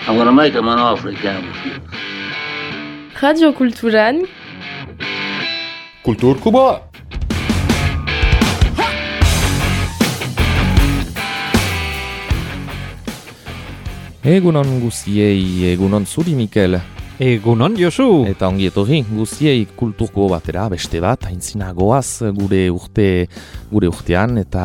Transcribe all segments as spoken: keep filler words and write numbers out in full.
I'm gonna make him an offer he can't refuse. Radio Kulturan Kultur Kuba. Egunon guziei, egunon zuri Mikel. Egunon Josu. Eta ongi etorri guziei kulturko batera beste bat, aintzina goaz gure urte gure urtean eta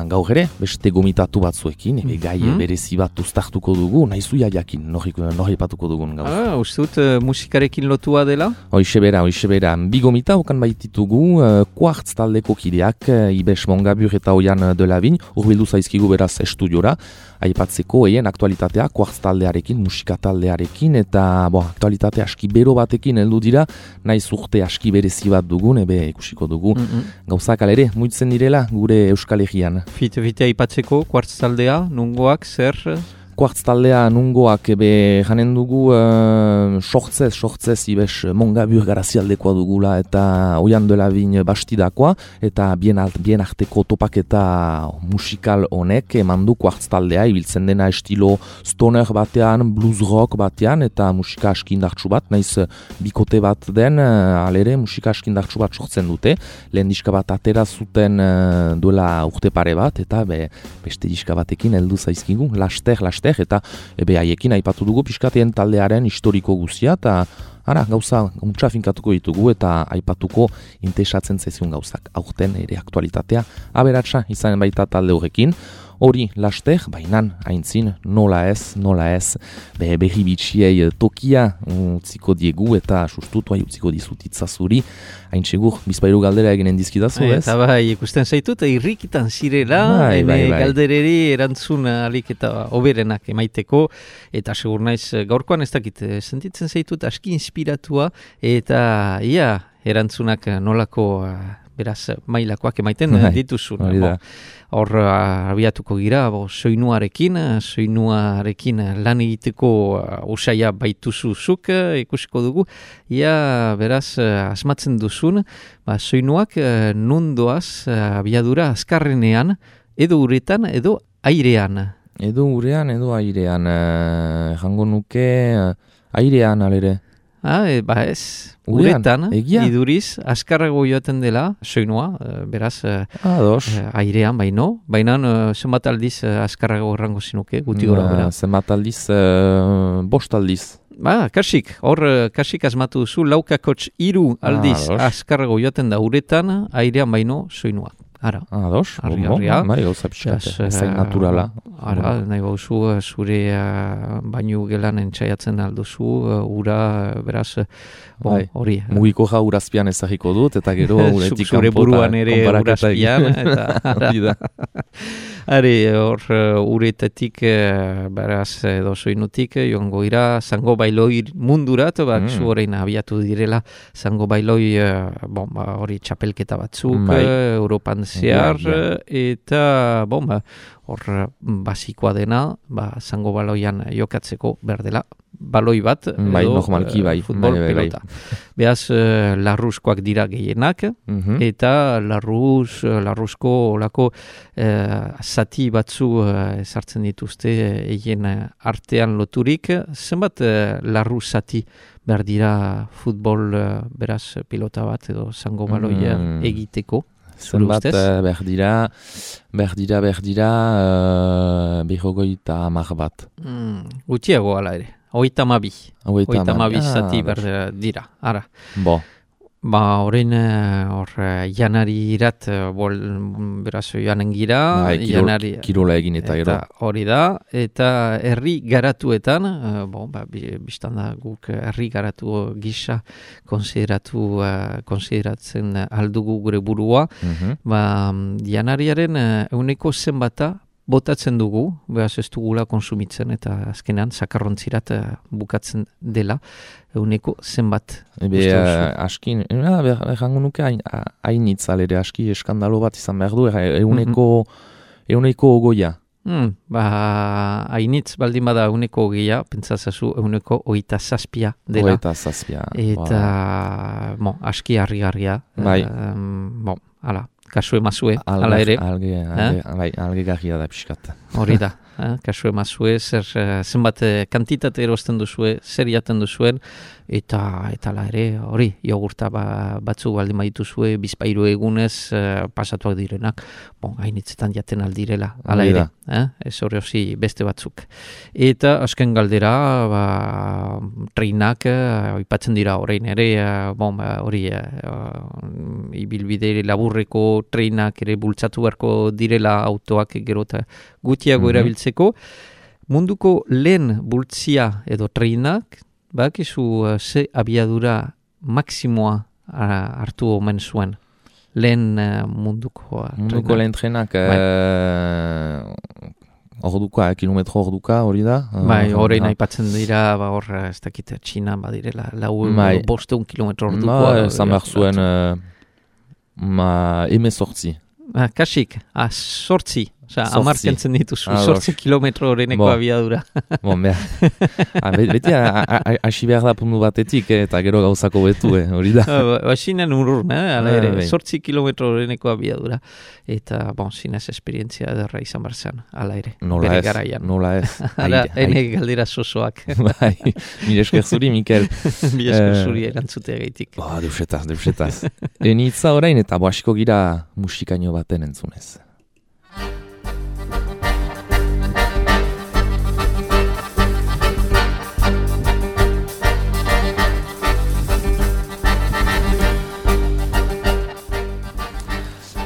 gaur ere beste gomitatu batzuekin, ebe gai mm-hmm. berezi bat uztartuko dugu, nahizuia jakin, nori patuko dugun gaur. Ah, ustut uh, musikarekin lotua dela? Hoixe bera, hoixe bera, bi gomita okan baititugu, uh, kuartz taldeko kideak, uh, Ibes Mongabur eta Oian Delabin, urbildu zaizkigu beraz estudiora, aipatzeko eien aktualitatea, kuartz taldearekin, musika taldearekin, eta bo, aktualitate aski bero batekin heldu dira, naiz urte aski berezi bat dugun, ebe ikusiko dugu, mm-hmm. gauzak alere, muitzen direla gure Euskal Herrian. Fite, fite aipatzeko, kuartz taldea, nungoak, zer... Kuartz taldea nungoak ebe janen dugu uh, sortzez, sortzez Ibes Mongabur garazialdekoa dugula eta Oian Delabin bastidakoa eta bien, alt, bien arteko topaketa musikal honek eman du kuartz taldea ibiltzen dena estilo stoner batean, blues rock batean eta musika askindartsu bat, naiz bikote bat den uh, alere musika askindartsu bat sortzen dute, lehen diska bat atera zuten uh, duela urte pare bat eta be, beste diska batekin heldu zaizkigu, laster, laster eta ebe haiekin aipatu dugu pixkateen taldearen historiko guzia eta ara, gauza untsa finkatuko ditugu eta aipatuko interesatzen zaizun gauzak aurten ere aktualitatea aberatsa izan baita talde horrekin. Hori laster, bainan, aintzin, nola ez, nola ez, be, berri bitxiei tokia utziko diegu eta sustutu utziko dizutitza zuri. Hain segur, bizpairu galdera eginen dizkidazu, ez? Eta bai, ikusten zaitut, irrikitan zirela, bai, bai, bai. Galdereri erantzun alik eta oberenak emaiteko, eta segur naiz gaurkoan ez dakit, sentitzen zaitut aski inspiratua, eta ia, erantzunak nolako... beraz, mailakoak emaiten bai, dituzun. Hor, uh, abiatuko gira, bo, soinuarekin, soinuarekin lan egiteko uh, usaia baituzuzuk, uh, ikusiko dugu. Ia, beraz, uh, asmatzen duzun, ba, soinuak uh, nundoaz uh, abiadura azkarrenean, edo uretan, edo airean. Edo urean, edo airean, uh, jango nuke uh, airean alere. Ah, e, ba ez, uretan, iduriz, azkarrago joaten dela, soinua, beraz, Ados. airean, baino, baina zenbat aldiz azkarrago errango zinuke, guti gora bera. Zenbat aldiz, uh, bost aldiz. Ba, kasik, hor kasik asmatu duzu, laukakotx iru aldiz ah, azkarrago joaten da uretan, airean baino soinua. Ara, ados, argi, argia. Bai, gauza pixkate, ezain naturala. Ara, nahi bauzu, zure uh, bainu gelan entzaiatzen alduzu, uh, ura, beraz, bon, hori. Bai, mugiko ja urazpian ezagiko dut, eta gero uretik zure buruan ere urazpian, eta ara. Are, hor, uh, uretetik, uh, beraz, edo soinutik, joango ira, zango bailoi mundurat, bak, mm. zu horrein abiatu direla, zango bailoi, uh, bon, ba, hori txapelketa batzuk, bai. uh, Europan zehar, ja, ja. eta, bon, ba, hor, basikoa dena, ba, zango baloian jokatzeko berdela, baloi bat, bai, edo, normalki, bai, futbol bai, bai, pelota. Bai. Beaz, uh, larruzkoak dira gehienak, mm-hmm. eta larruz, larruzko olako uh, zati batzu uh, ezartzen dituzte egin uh, artean loturik. Zenbat uh, larruz zati behar dira futbol, uh, beraz, pilota bat edo zango baloia mm. egiteko? Zenbat uh, behar dira, behar dira, behar dira, uh, behogoita amar bat. Mm, gutiago ala ere. Oita mabi. Oita mabi zati ah, behar dira. Ara. Bo. Ba, horrein, hor, janari irat, bol, beraz, joanen gira. Ba, janari, kirola egin eta gero. Hori da, eta herri garatuetan, uh, bon, ba, biztan da guk herri garatu gisa konsideratu, uh, konsideratzen aldugu gure burua. Mm-hmm. Ba, janariaren euneko zenbata, botatzen dugu, behaz ez dugula konsumitzen eta azkenean sakarrontzirat uh, bukatzen dela euneko zenbat. Ebe uh, askin, errango nuke hainitz alere aski eskandalo bat izan behar du, euneko, mm-hmm. euneko ogoia. Hmm, ba, hainitz baldin bada euneko ogoia, pentsazazu euneko oita zazpia dela. Oita zazpia. Eta, wow. Bon, aski harri-garria. Bai. Um, bon, ala. Kasu emazue, ala ere. Alge, alge, alge, alge garria da pixkat. hori da. Eh, kasu emazue, zer, zenbat kantitate erosten duzue, zer jaten duzuen, eta eta la ere, hori, jogurta ba, batzu baldin badituzue, bizpairu egunez uh, pasatuak direnak, bon, hainitzetan jaten aldirela, ala ere, eh? Ez hori hozi beste batzuk. Eta azken galdera, ba, treinak, uh, ipatzen dira orain ere, uh, bon, ba, hori, uh, ibilbide laburreko treinak ere bultzatu beharko direla autoak gero eta gutiago mm-hmm. erabiltzeko. Munduko lehen bultzia edo treinak, bakizu uh, ze abiadura maksimoa uh, hartu omen zuen. Lehen uh, munduko uh, Munduko lehen trenak uh, orduka, kilometro orduka hori da? Bai, horrein uh, aipatzen dira, ba, hor, ez dakit, Txina badira, lau bai. bosteun kilometro ordukoa. Ba, zan behar zuen uh, ma eme sortzi. Ah, kasik, ah, sortzi. Osa, amar kentzen dituzu, ah, sortzi kilometro horreneko bon. abiadura. Bon, behar. Ah, beti, hasi behar da puntu batetik, eh, eta gero gauzako betu, eh, hori da. Basinen urrur, eh, ala ere, ah, sortzi kilometro horreneko abiadura. Eta, bon, zinez esperientzia derra izan barzan, ala ere. Nola bere ez, garaian. nola ez. Ara, ene galdera sosoak. Bai, mire esker zuri, Mikel. Mire esker zuri erantzutea gaitik. Ba, deusetaz, deusetaz. Enitza orain, eta boasiko gira musikaino baten entzunez.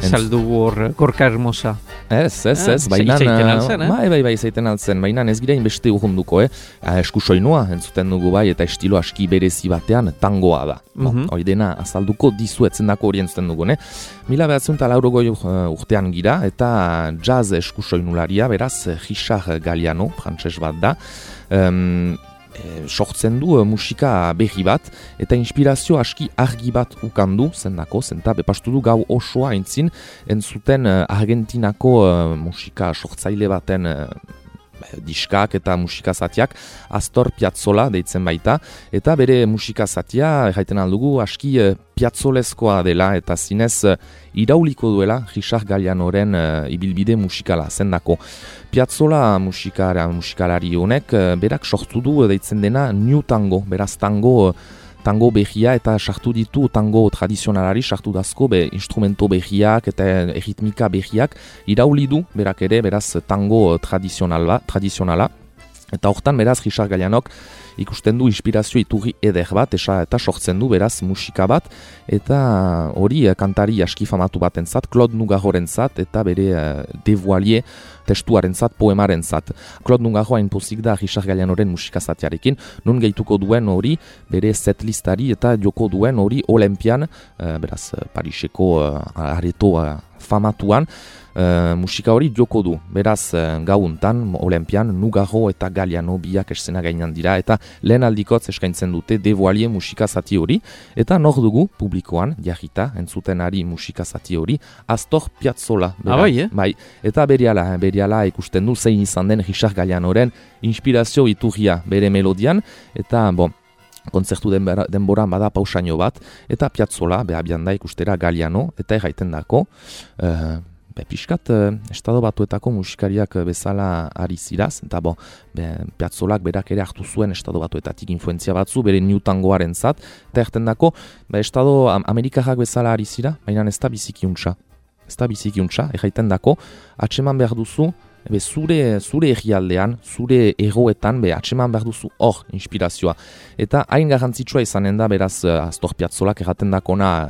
Saldu hor, Gorka Hermosa. Ez, ez, ez, ah, baina... Zaiten altzen, eh? Bai, bai, bai, zaiten altzen, baina ez gira inbeste urrunduko, eh? Eskusoinua, entzuten dugu bai, eta estilo aski berezi batean tangoa da. Mm-hmm. Hori dena, azalduko dizuetzen dako hori entzuten dugu, ne? Mila behatzen eta laurogoi urtean gira, eta jazz eskusoinularia, beraz, Richard Galliano, frantses bat da, um, E, sortzen du e, musika berri bat, eta inspirazio aski argi bat ukandu, zendako, zenta bepastu du gau osoa entzin, entzuten e, Argentinako e, musika sortzaile baten e, diskak eta musika zatiak, Astor Piazzolla deitzen baita, eta bere musika zatia, erraiten aldugu, aski e, piazzolezkoa dela, eta zinez e, irauliko duela Richard Gallianoren e, ibilbide musikala, zendako. Piazzolla musikara, musikalari honek, e, berak sortu du deitzen dena New Tango, beraz tango, tango behia eta sartu ditu tango tradizionalari, sartu dazko be instrumento behiak eta erritmika behiak, irauli du berak ere, beraz tango tradizionala, tradizionala. Eta hortan beraz Richard Gallianok ikusten du inspirazio iturri eder bat, esa, eta sortzen du beraz musika bat, eta hori kantari aski famatu batentzat, Claude Nougaro-rentzat, eta bere uh, devoilie testuarentzat, poemarentzat. Claude Nougaro hain pozik da Richard Gallianoren musika zatiarekin, nun gehituko duen hori bere setlistari eta joko duen hori Olimpian, uh, beraz Pariseko uh, areto uh, famatuan, Uh, musika hori joko du, beraz uh, gauntan, Olimpian, Nougaro eta Galliano biak esena gainan dira, eta lehen aldikotz eskaintzen dute devoilie musika zati hori, eta nor dugu publikoan, jarrita, entzuten ari musika zati hori, Astor Piazzolla. Ah, bai, eh? Bai, eta beriala, beriala ikusten du zein izan den Richard Gallianoren inspirazio iturria bere melodian, eta bon, kontzertu denboran bada pausaino bat, eta Piazzolla, behabian da ikustera Galliano, eta erraiten dako, uh, Be, piskat, eh, estado batuetako musikariak bezala ari ziraz, eta bo, be, Piazzolak berak ere hartu zuen estado batuetatik influenzia batzu, bere New Tangoaren zat, eta erten dako, be, estado Amerikarrak bezala ari zira, baina ez da bizikiuntza. Ez da bizikiuntza, erraiten dako, atseman behar duzu, be, zure, zure errialdean, zure egoetan, be, atseman behar duzu hor inspirazioa. Eta hain garrantzitsua izanen da, beraz, Astor Piazzolak erraten dakona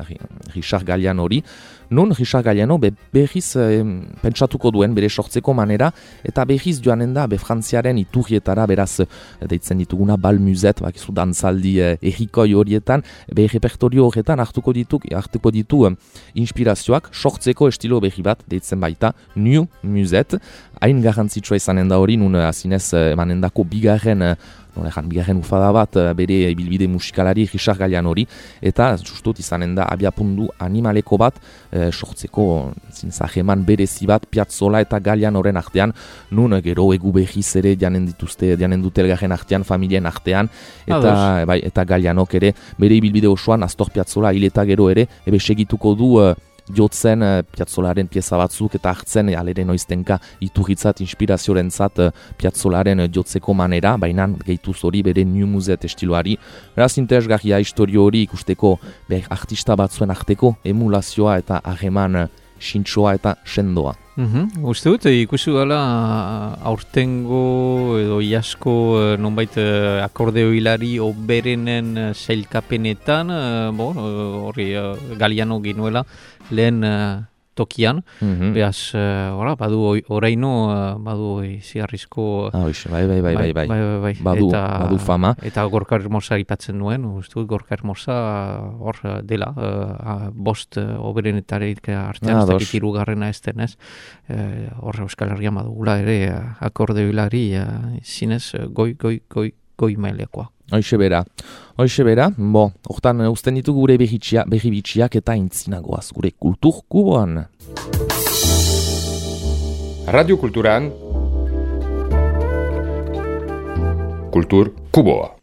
Richard Galliano hori, nun Richard Galliano be berriz eh, pentsatuko duen bere sortzeko manera, eta berriz joanen da be Frantziaren iturrietara, beraz deitzen dituguna bal muzet, bakizu dantzaldi eh, errikoi horietan, be repertorio horretan hartuko ditu, hartuko ditu eh, inspirazioak, sortzeko estilo berri bat deitzen baita New Muzet, hain garrantzitsua izanen da hori, nun azinez emanen dako bigarren eh, Norejan, bigarren ufada bat bere bilbide musikalari Richard Galliano hori, eta justut izanen da abiapundu animaleko bat e, sortzeko zintzajeman berezi bat Piazzolla eta Gallianoren artean, nun gero egu behiz ere janen dituzte, janen dute elgarren artean, familien artean, eta, bai, eta Gallianok ere bere bilbide osoan Astor Piazzolla hil eta gero ere, ebe segituko du uh, jotzen uh, Piazzolaren pieza batzuk eta hartzen alere noiztenka iturritzat, inspiraziorentzat uh, Piazzolaren uh, jotzeko manera, baina gehituz hori bere New Museet estiloari. Beraz interesgarria historio hori ikusteko ber, artista batzuen arteko emulazioa eta harreman uh, sintsoa eta sendoa. Mm-hmm. Uste dut, ikusi gala aurtengo edo iasko nonbait akordeo hilari oberenen sailkapenetan, bon, hori Galiano ginuela lehen tokian, mm-hmm. Beaz, ora, badu oraino, badu ziarrizko... Ah, oiz, bai, bai, bai, bai, bai, bai, bai, bai. Badu, eta, badu fama. Eta Gorka Hermosa ipatzen nuen, uste dut, Gorka Hermosa hor dela, uh, bost uh, oberenetarik artean, ah, ez dakit hirugarrena ez denez, hor uh, Euskal Herrian badugula ere uh, akordeo hilari uh, zinez uh, goi, goi, goi, goi mailekoa. Hoixe bera, hoixe bera, bo, hortan uzten ditu gure berri bitxiak eta intzinagoaz gure kultur kuboan. Radio Kulturan Kultur kuboa.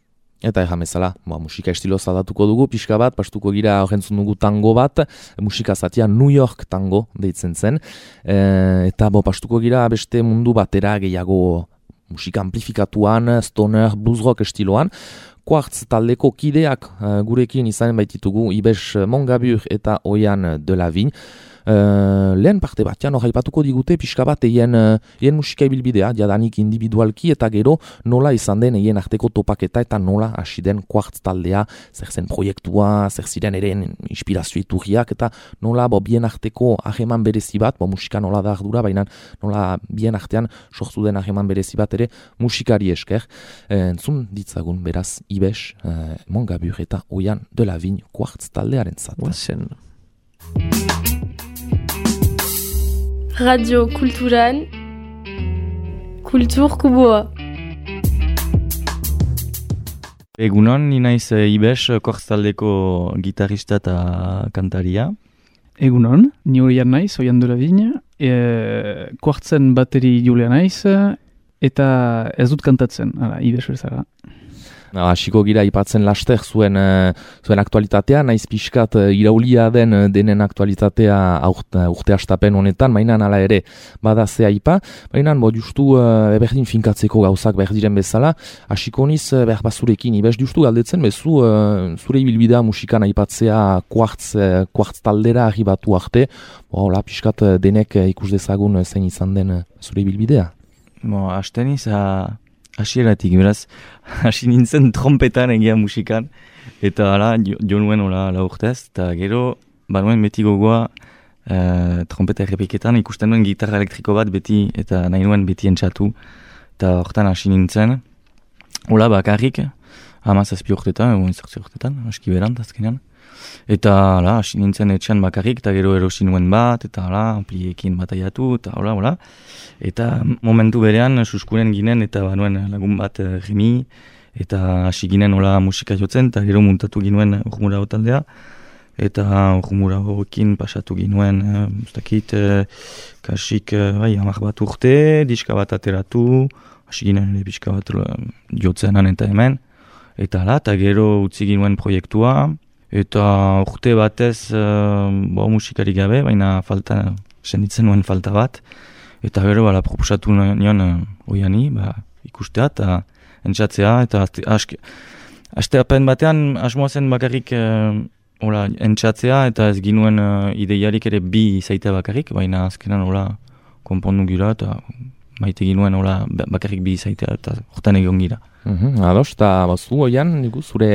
Eta erramezala, ba, musika estilo zadatuko dugu, pixka bat, pastuko gira horrentzun dugu tango bat, musika zatia New York tango deitzen zen, e, eta bo, pastuko gira beste mundu batera gehiago musika amplifikatuan, stoner, blues rock estiloan. Quartz taldeko kideak uh, gurekin izanen baititugu Ibes Mongabur eta Oian Delavigne. Uh, lehen parte batean hor aipatuko digute pixka bat eien, uh, eien musika ibilbidea, jadanik individualki eta gero nola izan den eien arteko topaketa eta nola hasi den Quartz taldea, zer zen proiektua, zer ziren ere inspirazio iturriak eta nola bo, bien arteko hageman berezi bat, bo, musika nola da ardura, baina nola bien artean sortu den hageman berezi bat ere musikari esker. Uh, entzun ditzagun beraz Ibes, uh, Mongabur eta Oian Delavigne Quartz taldearen zat. Oazen. Radio Kulturan Kultur Kuboa. Egunon, ni naiz Ibes, Quartz taldeko gitarrista eta kantaria. Egunon, ni Oian naiz, Oian Delavigne, e, Quartzen bateri julea naiz, eta ez dut kantatzen, ara, Ibes bezala. Hasiko gira ipatzen laster zuen, uh, zuen aktualitatea, naiz pixkat uh, iraulia den uh, denen aktualitatea urte, urte astapen honetan, mainan ala ere badazea ipa, mainan bo justu uh, berdin finkatzeko gauzak berdiren bezala, hasiko niz uh, behar bazurekin, ibez justu galdetzen, bezu uh, zure ibilbidea musikan aipatzea Quartz, uh, Quartz taldera arribatu arte, bo, hola, pixkat uh, denek uh, ikus dezagun uh, zein izan den uh, zure ibilbidea. Bo, hasten iz, uh... hasieratik, beraz, hasi nintzen trompetan egia musikan, eta ala, jo, jo nuen ola la urtez, eta gero, banuen beti gogoa uh, trompeta errepiketan, ikusten nuen gitarra elektriko bat beti, eta nahi nuen beti entxatu, eta hortan hasi nintzen, ola bakarrik, hamazazpi urtetan, egun zortzi urtetan, aski berant, azkenean, eta ala, hasi nintzen etxean bakarrik, eta gero erosi nuen bat, eta ala, ampliekin bataiatu, eta hola, hola, eta momentu berean suskuren ginen eta banuen lagun bat uh, Remi eta hasi ginen hola musika jotzen eta gero muntatu ginuen Urmurao taldea eta Urmuraoekin pasatu ginuen uh, ustakit uh, kasik uh, bai, hamar bat urte, diska bat ateratu, hasi ginen ere pixka bat uh, jotzenan eta hemen eta ala, eta gero utzi ginuen proiektua eta urte batez uh, bo, musikari gabe, baina falta, senditzen nuen falta bat. Eta gero, bala, proposatu nion uh, Oiani, ba, ikustea eta entzatzea, eta aste, aste apen batean asmoa zen bakarrik uh, ola, entzatzea, eta ez ginuen uh, ideiarik ere bi zaitea bakarrik, baina azkenan ola, konpondu gira, eta maite ginuen ola, bakarrik bi zaitea, eta hortan egon gira. Mm-hmm, ados, eta bazu, Oian, nigu, zure,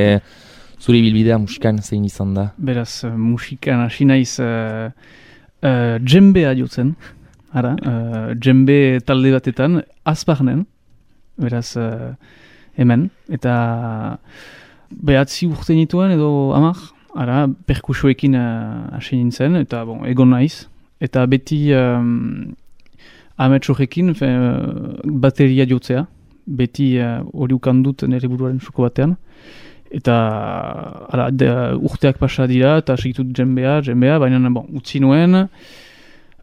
zure bilbidea musikan zein izan da? Beraz, musikan hasi naiz uh, uh, djembea jotzen. Ara, uh, djembe talde batetan, azparnen, beraz, uh, hemen, eta behatzi urte nituen edo amak, ara, perkusoekin uh, hasi nintzen, eta bon, egon naiz, eta beti um, ametsorekin uh, bateria jotzea, beti hori uh, ukandut nire buruaren suko batean, eta ara, de, urteak pasa dira, eta segitut djembea, djembea, baina bon, utzi nuen,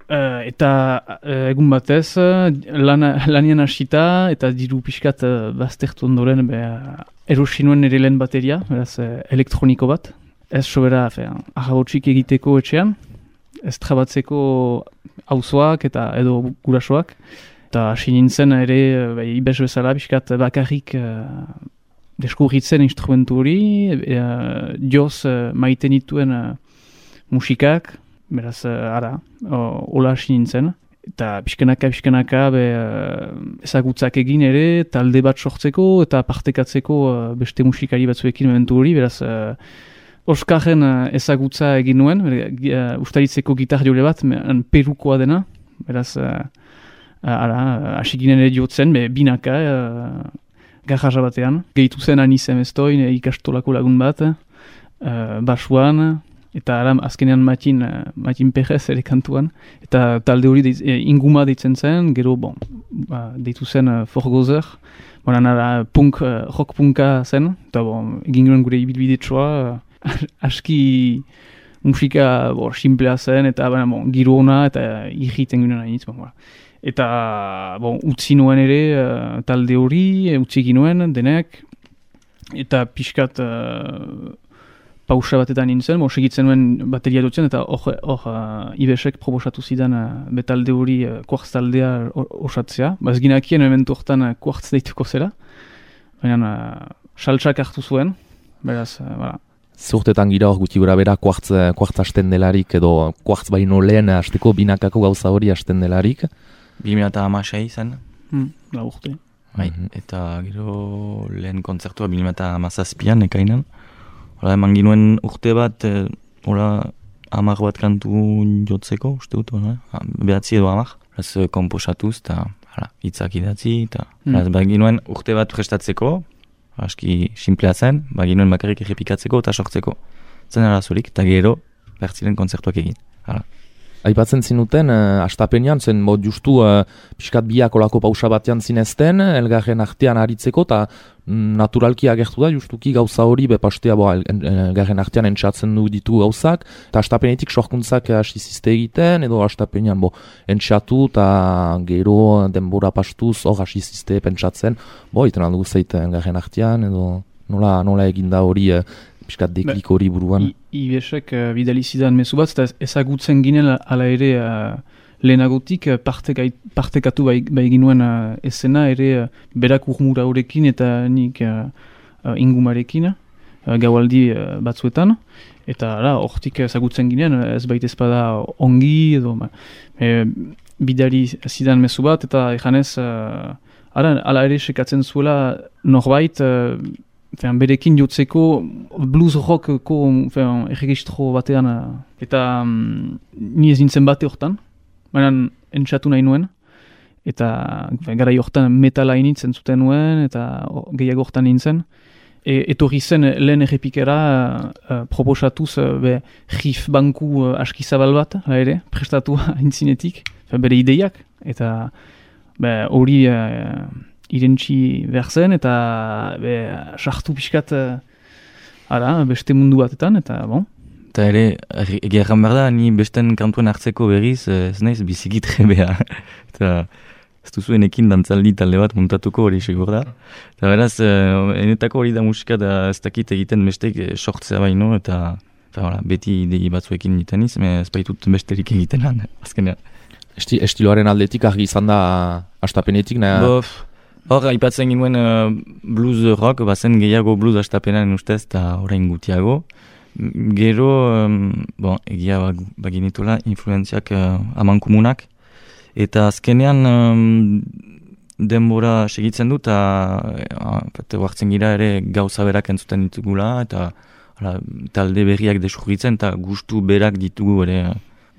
Uh, eta uh, egun batez, uh, lana, lanian hasita eta diru pixkat uh, baztertu ondoren uh, erosi nuen ere lehen bateria, beraz uh, elektroniko bat. Ez sobera, ahabotsik egiteko etxean. ez trabatzeko auzoak eta edo gurasoak. Eta hasi nintzen ere, bai, ibes bezala, biskat bakarrik uh, deskubritzen instrumentu hori, uh, joz uh, maite nituen uh, musikak, beraz, uh, ara, uh, hola hasi nintzen. Eta pixkanaka, pixkanaka, be, uh, ezagutzak egin ere, talde bat sortzeko eta partekatzeko uh, beste musikari batzuekin momentu hori, beraz, uh, Oskarren uh, ezagutza egin nuen, uh, ustaritzeko gitar jole bat, perukoa dena, beraz, uh, Ara, asikinen ere jotzen, be, binaka, uh, garraja batean. Gehitu zen anizem eztoin, ikastolako lagun bat, uh, basuan, eta ara, azkenean Matin, uh, Matin Perez ere kantuan. Eta talde hori deiz, e, inguma deitzen zen, gero, bon, ba, deitu zen uh, Forgozer. Bonan, ara, punk, uh, rock punka zen, eta bon, egin gure gure ibilbidetsua, uh, aski musika bo, simplea zen, eta bon, giro ona, eta irriten gure nahi, bon, voilà. Eta, bon, utzi nuen ere uh, talde hori, utzi ginuen denek, eta pixkat uh, pausa batetan nintzen, bon, segitzen nuen bateria dutzen, eta hor uh, Ibesek proposatu zidan uh, betalde hori uh, kuartz taldea osatzea. Baz ginakien momentu hortan uh, kuartz deituko zela, baina uh, saltsak hartu zuen, beraz, uh, voilà. Zurtetan gira hor guti gura bera kuartz, kuartz hasten delarik, edo kuartz baino lehen hasteko binakako gauza hori hasten delarik. bi mila hamasei zen. Hmm, la urte. Bai, mm-hmm. Eta gero lehen kontzertua bi mila hamazazpian ekainan. Hola, eman ginuen urte bat, e, hola, hamar bat kantu jotzeko, uste dut, hola, behatzi edo hamar. Horaz, komposatuz, eta hitzak idatzi, eta mm. ba, ginuen urte bat prestatzeko, aski simplea zen, ba, ginuen bakarrik errepikatzeko eta sortzeko. Zen arazorik, eta gero, bertzilen kontzertuak egin. Hala. Aipatzen zinuten, uh, astapenean, zen mod justu uh, pixkat biak olako pausa batean zinezten, elgarren artean aritzeko, eta mm, naturalki agertu da, justuki gauza hori, bepastea bo, elgarren artean entxatzen du ditu gauzak, eta astapenetik sorkuntzak hasi zizte egiten, edo astapenean bo, entxatu, eta gero denbora pastuz hor hasi zizte pentsatzen, bo, iten aldugu zeite elgarren artean, edo nola, nola eginda hori, uh, piskat deklik hori buruan. Ibesek uh, bidali zidan mezu bat, eta ezagutzen ginen ala ere uh, lehenagotik uh, parteka, partekatu bai, bai ginuen uh, esena ere uh, berak urmura horrekin eta nik uh, uh, ingumarekin uh, gaualdi uh, batzuetan. Eta ara, hortik ezagutzen ginen, ez baita ezpada ongi edo e, bidali zidan mezu bat, eta ejanez, uh, ara, ala ere sekatzen zuela norbait, uh, Fean, berekin jotzeko blues rockko erregistro batean, eta um, ni ez nintzen bate hortan, baina entxatu nahi nuen, eta gara hortan metala initzen zuten nuen, eta gehiago hortan nintzen. E, etorri zen lehen errepikera uh, proposatuz uh, be, riff banku uh, aski zabal bat, ere, prestatua intzinetik, bere ideiak, eta hori uh, irentzi behar zen, eta be, sartu pixkat uh, ara, beste mundu batetan, eta bon. Eta ere, egeran behar da, ni besten kantuen hartzeko berriz, ez naiz bizikit trebea. Eta ez duzuenekin dantzaldi talde bat muntatuko hori segur da. Eta beraz, enetako hori da musika da ez dakit egiten bestek sortzea baino, eta, eta hola, beti idei batzuekin egiten iz, ez baitut besterik egiten lan, azkenean. Esti, estiloaren aldetik argi izan da astapenetik, nahi? Hor, aipatzen ginuen uh, blues rock, bazen gehiago blues astapenan ustez, eta orain gutiago. Gero, um, bon, egia baginitula, influenziak uh, amankomunak. Eta azkenean um, denbora segitzen du, eta uh, huartzen gira ere gauza berak entzuten ditugula, eta ala, talde berriak desurritzen, eta gustu berak ditugu ere.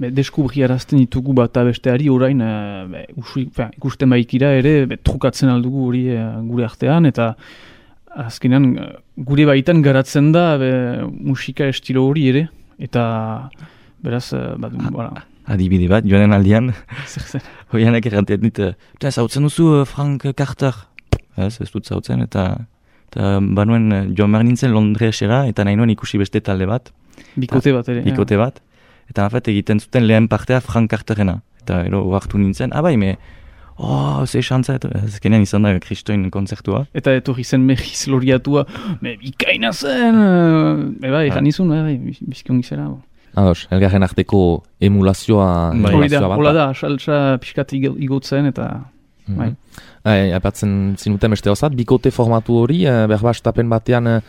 Be, deskubri arazten ditugu bat besteari orain uh, be, usu, fe, ikusten baikira ere be, trukatzen aldugu hori uh, gure artean, eta azkenean uh, gure baitan garatzen da be, musika estilo hori ere, eta beraz, uh, bat, voilà. Adibide bat, joanen aldian, hoianak errantean dit, eta zautzen duzu uh, Frank Carter, ez, ez dut zautzen, eta, eta banuen uh, joan behar nintzen Londresera, eta nahi nuen ikusi beste talde bat. Bikote bat ere. Bikote bat. Eta afet egiten zuten lehen partea Frank Carterena. Eta ero hartu nintzen, abai, me, oh, ze xantza, ezkenean izan da kristoin kontzertua. Eta etorri zen mehiz loriatua, me bikaina zen, e bai, egan izun, bai, bizkion gizera. Ados, elgarren arteko emulazioa... Hori da, hola da, saltsa pixkat igotzen eta... Mm-hmm. Bai. Hai, aipatzen zinuten beste hozat, bikote formatu hori, eh, berbastapen batean, eh,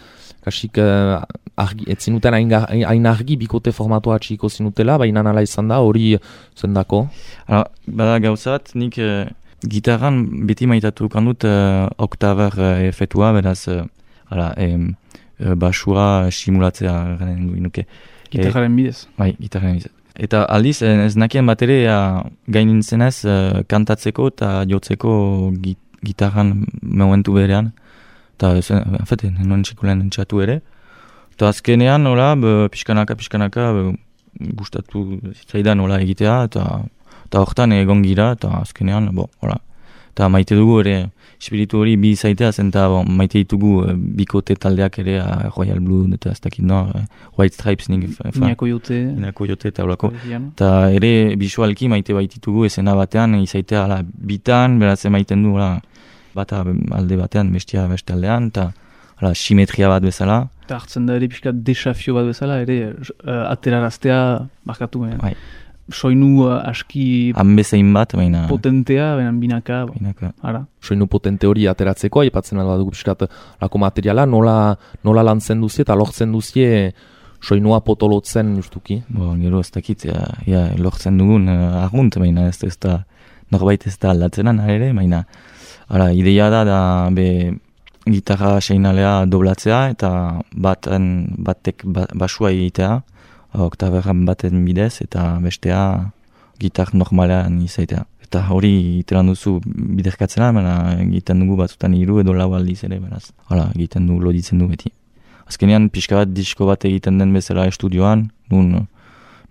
kasik, eh, argi, ez zinuten hain, hain argi bikote formatua atxiko zinutela, baina nala izan da, hori zendako? Hala, bada gauzat, nik eh, gitarran beti maitatu kandut eh, oktaber eh, efetua, beraz, eh, hala, eh, basua simulatzea garen nuke. Gitarraren bidez. Bai, gitarraren bidez. Eta aldiz, ez nakien bat ere gainin zenez uh, kantatzeko eta jotzeko git gitarran momentu berean. Eta, en fet, nuen txikulen entxatu ere. Eta azkenean, hola, pixkanaka, pixkanaka, gustatu zitzaidan hola egitea, eta hortan egon gira, eta azkenean, bo, hola. Eta maite dugu ere, espiritu hori bi zaitea zen, eta bon, maite ditugu e, bikote taldeak ere, a, Royal Blood, eta ez dakit no, e, White Stripes, nik... Inako jote. Inako jote, eta holako. Eta ere, bisualki maite baititugu ezena batean, izaitea ala, bitan, beraz emaiten du, ala, bata alde batean, bestia beste aldean, eta ala, simetria bat bezala. Eta hartzen da ere pixka desafio bat bezala, ere uh, ateraraztea markatu. Eh? Bai. Soinu uh, aski hanbezein bat, baina potentea, baina binaka, binaka. Ara. Soinu potente hori ateratzeko, aipatzen alba dugu pixkat lako materiala, nola, nola lantzen duzie eta lortzen duzie soinua potolotzen justuki? Bo, gero ez dakit, ja, ja, lortzen dugun uh, argunt, baina ez, ez da, norbait ez da aldatzenan ere, baina ara, ideia da, da be, gitarra seinalea doblatzea eta baten, batek ba, basua egitea, oktaberran baten bidez eta bestea gitar normalean izaitea. Eta hori iteran duzu biderkatzena, baina egiten dugu batzutan hiru edo lau aldiz ere, beraz. Hala, egiten du, loditzen du beti. Azkenean pixka bat, disko bat egiten den bezala estudioan, nun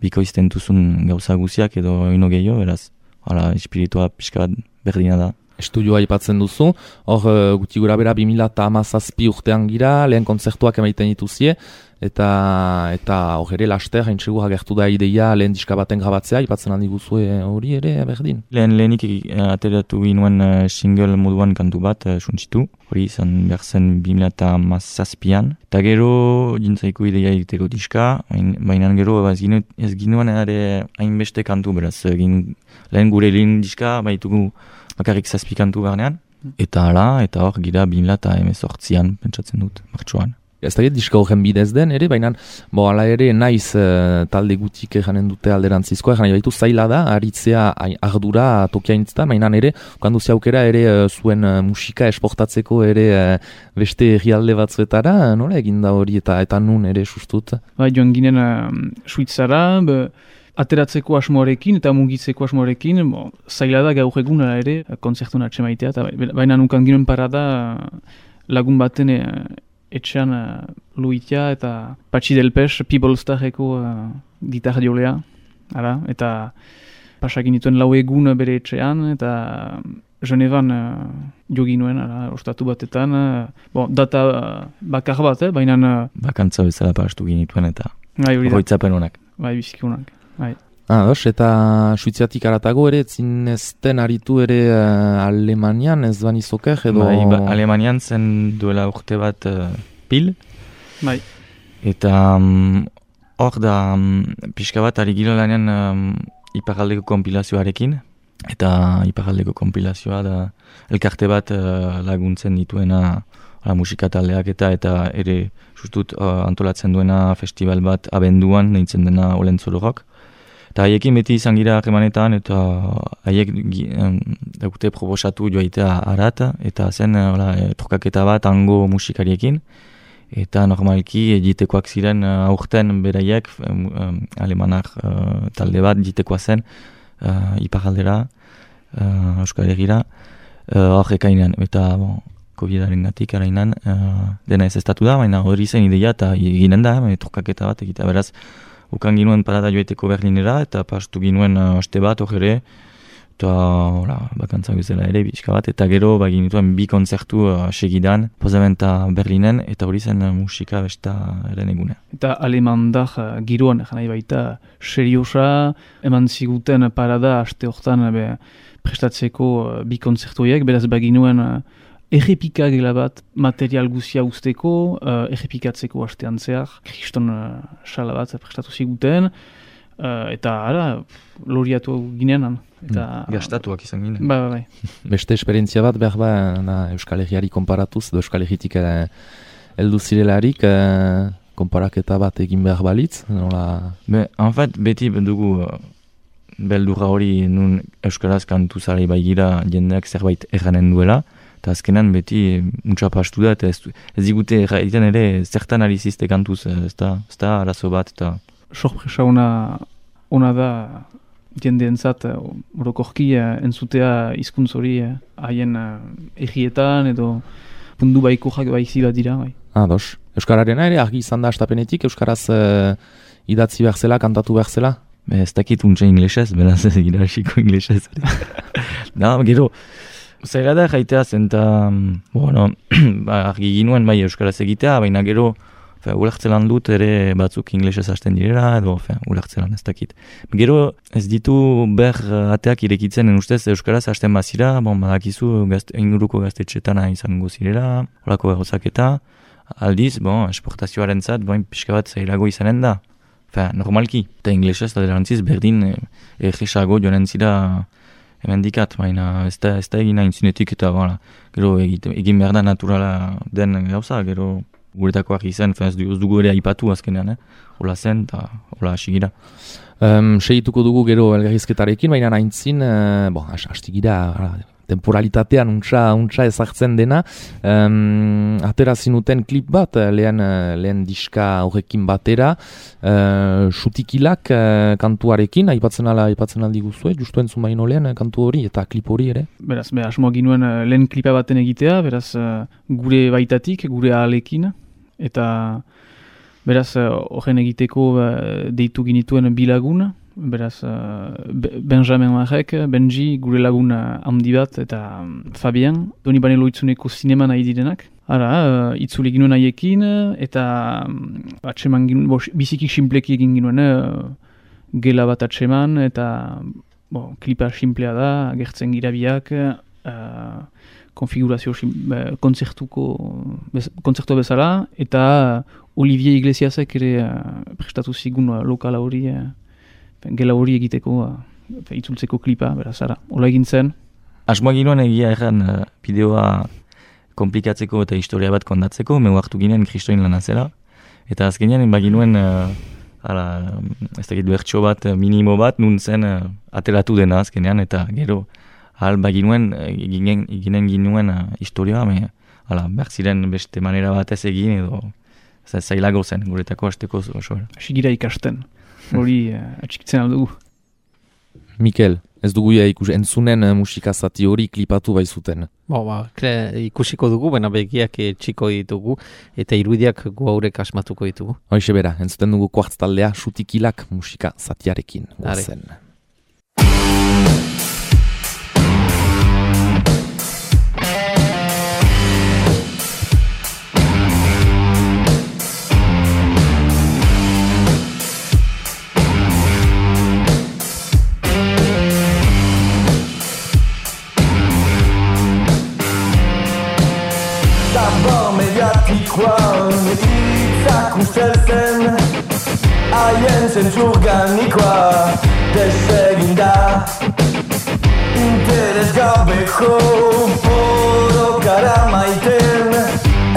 bikoizten duzun gauza guziak edo ino gehiago, beraz. Hala, espiritua pixka bat berdina da. Estudioa aipatzen duzu, hor guti gura bera bi mila hamazazpi urtean gira, lehen kontzertuak emaiten dituzie, eta eta hor ere laster, hain txegur agertu da ideia lehen diska baten grabatzea, aipatzen handi guzue hori ere berdin. Lehen lehenik ateratu ginuen uh, single moduan kantu bat, uh, suntsitu, hori izan behar zen bi mila hamazazpian, eta gero jintzaiko ideia egiteko diska, baina gero ez ginu, ez ginuen ere hainbeste kantu, beraz, gin, lehen gure lehen diska baitugu bakarrik zazpi kantu barnean, eta hala, eta hor gira bi mila hemezortzian pentsatzen dut, martxoan. Ez da diska horren bidez den ere, baina bo, ala ere naiz uh, talde gutik janen dute alderantzizkoa, janen baitu zaila da, aritzea ardura tokiaintztan, baina ere, kanduzia aukera ere uh, zuen uh, musika esportatzeko ere uh, beste herrialde batzuetara, nola egin da hori eta eta nun ere sustut? Ba, joan ginen uh, Suitzara, be, ateratzeko asmoarekin eta mugitzeko asmoarekin, bo, zaila da gaur egun ere kontzertun atxemaitea, eta baina nukan ginen parada lagun baten e, etxean uh, Luitia eta Patxi Delpes, People Starreko uh, gitarra diolea, ara, eta pasakin dituen lau egun bere etxean, eta Genevan uh, jo ginuen, ara, ostatu batetan, uh, bon, data uh, bakar bat, eh, baina... Uh, Bakantza bezala pastu ginituen eta horretzapen honak. Bai, biziki honak. Bai. Ah, dos, eta Suiziatik aratago ere, zinezten aritu ere uh, Alemanian, ez bani zoker, edo... Bai, ba, Alemanian zen duela urte bat uh, pil. Bai. Eta um, hor da, um, pixka bat ari gira lanean um, iparraldeko kompilazioarekin. Eta iparraldeko kompilazioa da elkarte bat uh, laguntzen dituena la musika taldeak eta eta ere justut uh, antolatzen duena festival bat abenduan, deitzen dena Olentzolorok. Eta haiekin beti izan gira harremanetan eta haiek um, daukute proposatu joaitea arat, eta zen uh, trokaketa bat hango musikariekin. Eta normalki jitekoak ziren uh, aurten beraiek, um, um, alemanar uh, talde bat jitekoa zen uh, iparraldera, uh, Euskal Herrira, hor uh, ekainean, eta bon, Covidaren gatik arainan uh, dena ez estatu da, baina hori zen ideia eta ginen da, e, trokaketa bat egitea, beraz, ukan ginuen parada joeteko Berlinera, eta pastu ginuen uh, aste bat hor ere, eta hola, bakantza bezala ere, bizka bat, eta gero ba, ginituen bi kontzertu uh, segidan, Pozamenta Berlinen, eta hori zen uh, musika besta eren egune. Eta alemandar uh, giroan, janai baita, seriosa, eman ziguten parada aste hortan be, prestatzeko uh, bi kontzertuiek, beraz baginuen uh, errepika gela bat material guzia usteko, uh, errepikatzeko astean zehar, kriston uh, sala bat prestatu ziguten, uh, eta ara, loriatu ginean. Eta, mm, gastatuak izan ginen. Ba, ba, bai. Beste esperientzia bat behar ba, na, Euskal Herriari konparatuz, edo Euskal Herritik uh, heldu zirelarik, uh, konparaketa bat egin behar balitz, nola... Be, en fait, beti dugu uh, beldurra hori nun Euskaraz kantu zari baigira jendeak zerbait erranen duela, eta azkenan beti muntza pastu da, eta ez, ez digute erraiten ere zertan alizizte kantuz, ez da, ez da arazo bat, eta... Sorpresa ona, ona da jendeentzat orokorki uh, entzutea hizkuntz hori haien uh, errietan edo pundu baiko jak baizi bat dira, bai. Ah, dos. Euskararena ere argi izan da astapenetik, Euskaraz uh, idatzi behar zela, kantatu behar zela? Be, ez dakit untxe inglesez, beraz ez egira hasiko inglesez. Da, gero, zaila da jaitea zen, eta, bueno, ba, argi ginuen bai Euskaraz egitea, baina gero, fe, ulertzelan dut ere batzuk inglesez hasten direla, edo, fe, ulertzelan ez dakit. Gero, ez ditu ber ateak irekitzen, en ustez Euskaraz hasten bazira, bon, badakizu gazte, inguruko gaztetxetana izango zirela, horako gauzaketa, aldiz, bon, esportazioaren zat, bon, pixka bat zailago izanen da. Fe, normalki, eta inglesez eta derantziz berdin egesago e, joanen zira emendikat, baina ez da, ez da egin hain zinetik eta voilà, gero egite, egin behar da naturala den gauza, gero guretakoak izan, fe, ez dugu ere aipatu azkenean, eh? Hola zen eta hola hasigira. Um, Segituko dugu gero elgarrizketarekin, baina haintzin, uh, bon, hastigira, temporalitatean untsa, untsa ezartzen dena. Um, atera zinuten klip bat, lehen, lehen diska horrekin batera, uh, Sutikilak uh, kantuarekin, aipatzen ala, aipatzen aldi guzue, justu entzun baino lehen kantu hori eta klip hori ere? Beraz, be, asmoa ginuen uh, lehen klipa baten egitea, beraz, uh, gure baitatik, gure ahalekin, eta beraz, horren uh, egiteko uh, deitu ginituen bilagun, beraz, uh, Benjamin Marek, Benji, gure lagun handi bat, eta um, Fabian, Doni Banelo itzuneko zinema nahi direnak. Ara, uh, itzule ginuen haiekin, eta um, atseman ginuen, bo, biziki simpleki egin ginuen, uh, gela bat atseman, eta bo, klipa simplea da, agertzen girabiak, uh, konfigurazio sim, uh, kontzertuko, bez, kontzertua bezala, eta uh, Olivier Iglesiasek ere uh, prestatu zigun uh, lokala hori, uh, gela hori egiteko, uh, itzultzeko klipa, beraz, ara, hola egin zen. Asmoa ginoen egia erran uh, bideoa komplikatzeko eta historia bat kondatzeko, meu hartu ginen kristoin lana zela, eta azkenean baginuen, uh, ala, ez dakit bertso bat, minimo bat, nun zen uh, atelatu dena azkenean, eta gero, ahal baginuen, eginen, eginen ginuen uh, historia, me, ala, behar ziren beste manera bat ez egin, edo zailago zen, guretako hasteko osoa. Asigira ikasten. Hori uh, atxikitzen aldugu. Mikel, ez dugu ja ikus, entzunen uh, musikazati hori klipatu bai zuten. Bo, ba, kre, ikusiko dugu, baina begiak txiko ditugu, eta irudiak gu haurek asmatuko ditugu. Hoixe bera, entzuten dugu kuartz taldea Sutikilak musika zatiarekin. Guazen. Itzak ustelzen haien zentzur ganikoa desegin da interes gabeko borokara maiten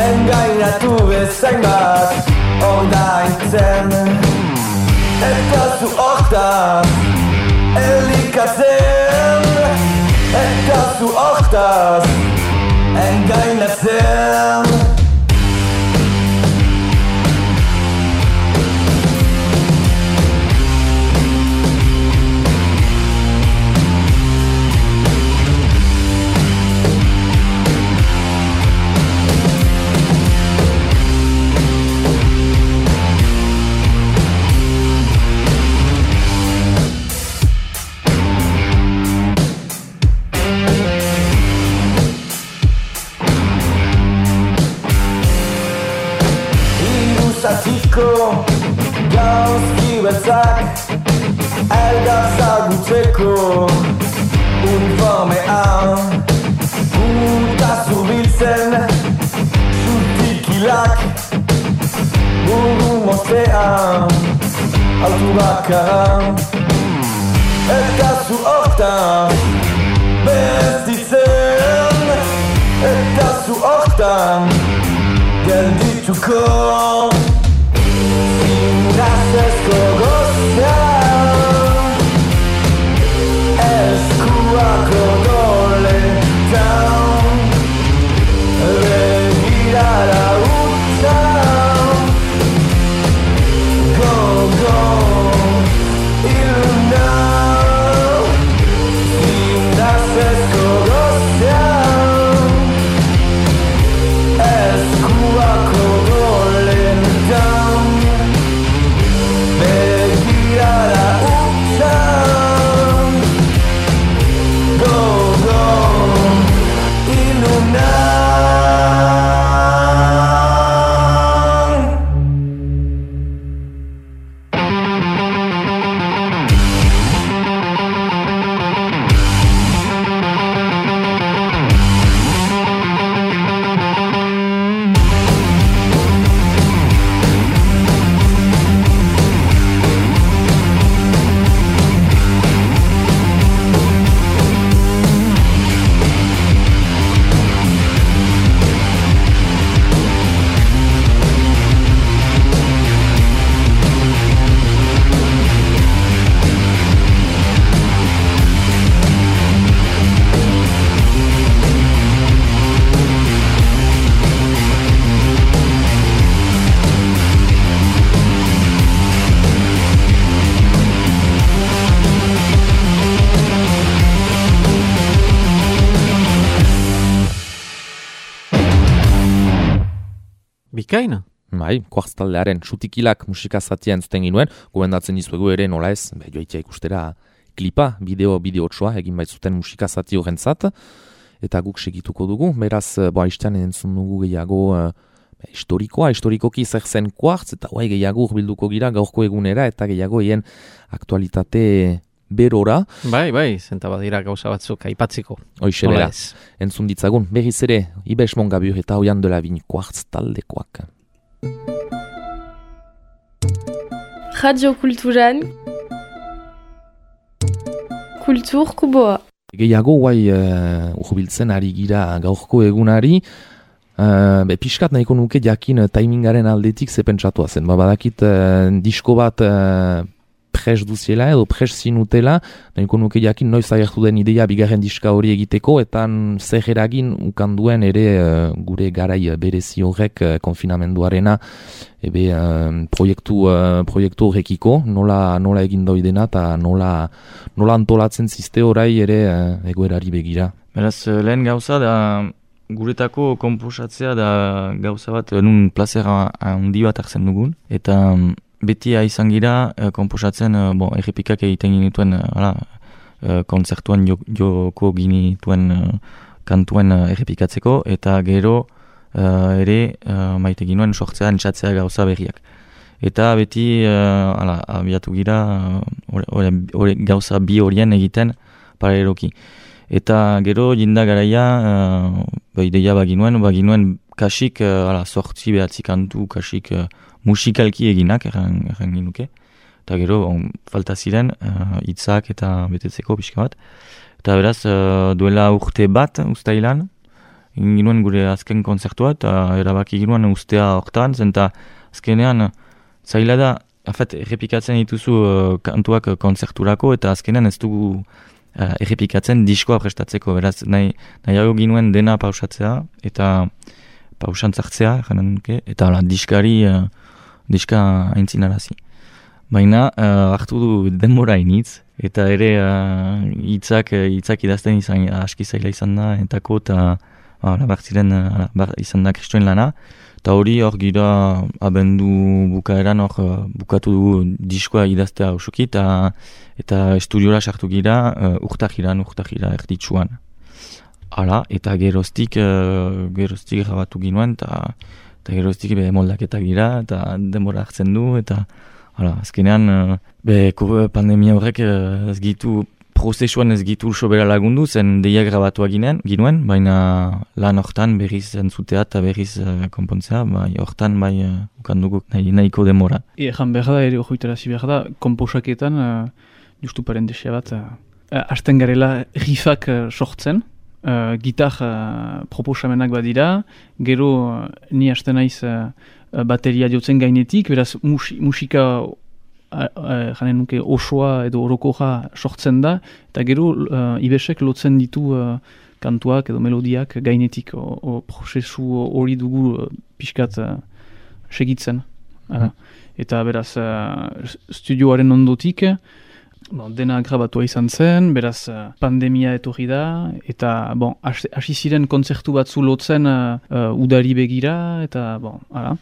engainatu bezain bat ordaintzen eta zu hortaz elikatzen eta zu hortaz engainatzen. Gauzki beltzak eldar zagutzeko uniformean Guta zurbiltzen zen zutikilak buru mostean autu bakaran eta zu hortan berestitzen eta zu hortan geldituko indazesko gozean eskuak odoletan begirara utzan go go iluna indazesko gozean eskuak odoletan begirara utzan go go iluna Bikaina? Bai, kuartz taldearen sutikilak musika zatia entzuten ginuen, gomendatzen dizuegu ere nola ez, be, joaitia ikustera klipa, bideo, bideotsoa, egin baitzuten musika zati horrentzat, eta guk segituko dugu, beraz, boa, istean entzun dugu gehiago uh, historikoa, historikoki zer zen kuartz, eta guai gehiago urbilduko gira gaurko egunera, eta gehiago hien aktualitate berora. Bai, bai, zenta badira gauza batzuk aipatzeko. Hoixelera, entzun ditzagun, berriz ere, Ibes Mongabur eta Oian de la Vigne kuartz taldekoak. Radio Kulturan Kultur Kuboa. Gehiago guai uh, urbiltzen ari gira gaurko egunari, uh, be, pixkat nahiko nuke jakin uh, timingaren aldetik zepentsatu zen. Ba, badakit uh, disko bat uh, pres duziela edo pres zinutela, nahiko nuke jakin noiz agertu den ideia bigarren diska hori egiteko, eta zer eragin ukanduen ere uh, gure garai berezi horrek uh, konfinamenduarena ebe uh, proiektu, uh, proiektu horrekiko, nola, nola egin doidena eta nola, nola antolatzen ziste orai ere uh, egoerari begira. Beraz, lehen gauza da guretako komposatzea da gauza bat nun plazera handi bat hartzen dugun, eta beti izan gira uh, komposatzen uh, bon, errepikak egiten ginituen uh, uh, kontzertuan joko ginituen uh, kantuen uh, errepikatzeko, eta gero uh, ere uh, maite ginuen sortzea, entzatzea gauza berriak. Eta beti uh, ala, abiatu gira uh, ore, ore, gauza bi horien egiten paraleloki. Eta gero jinda garaia uh, ba, ideia baginuen, baginuen kasik uh, ala, sortzi behatzi kantu, kasik uh, musikalki eginak, erran, erran ginuke. Eta gero, on, falta ziren, hitzak uh, eta betetzeko pixka bat. Eta beraz, uh, duela urte bat, ustailan, ginuen gure azken konzertua, eta erabaki ginuen ustea hortan, zenta azkenean, zaila da, afet, errepikatzen dituzu uh, kantuak konzerturako, eta azkenean ez dugu uh, errepikatzen diskoa prestatzeko. Beraz, nahi, nahiago ginuen dena pausatzea, eta pausantzartzea, janen nuke, eta ala, diskari... Uh, diska aintzinarazi. Baina uh, hartu du denbora initz, eta ere hitzak uh, hitzak idazten izan aski zaila izan da, entako eta uh, bartziren uh, bar, izan da kristoen lana, eta hori hor gira abendu bukaeran hor uh, bukatu dugu diskoa idaztea osoki, eta, eta estudiora sartu gira uh, urtahiran, urtahira erditsuan. Hala, eta geroztik, uh, geroztik grabatu ginuen, eta eta geroztik be moldaketak gira, eta denbora hartzen du, eta hala, azkenean be pandemia horrek ez gitu prozesuan ez gitu sobera lagundu, zen deia grabatu ginen, ginuen, baina lan hortan berriz entzutea eta berriz uh, konpontzea, bai hortan bai uh, ukandugu nahi, nahiko demora. Egan behar da, ere ojoitarazi behar da, komposaketan, uh, justu parentesia bat, uh, hasten garela rifak uh, sortzen, uh, gitar uh, proposamenak badira, gero uh, ni hasten naiz uh, bateria jotzen gainetik, beraz musi, musika janen nuke osoa edo orokoja sortzen da, eta gero uh, ibesek lotzen ditu uh, kantuak edo melodiak gainetik, o, o prozesu hori dugu uh, pixkat uh, segitzen. Mm. Eta beraz, uh, studioaren ondotik, bon, dena grabatua izan zen, beraz uh, pandemia etorri da, eta bon, hasi ziren kontzertu batzu lotzen uh, uh, udari begira, eta bon, ara.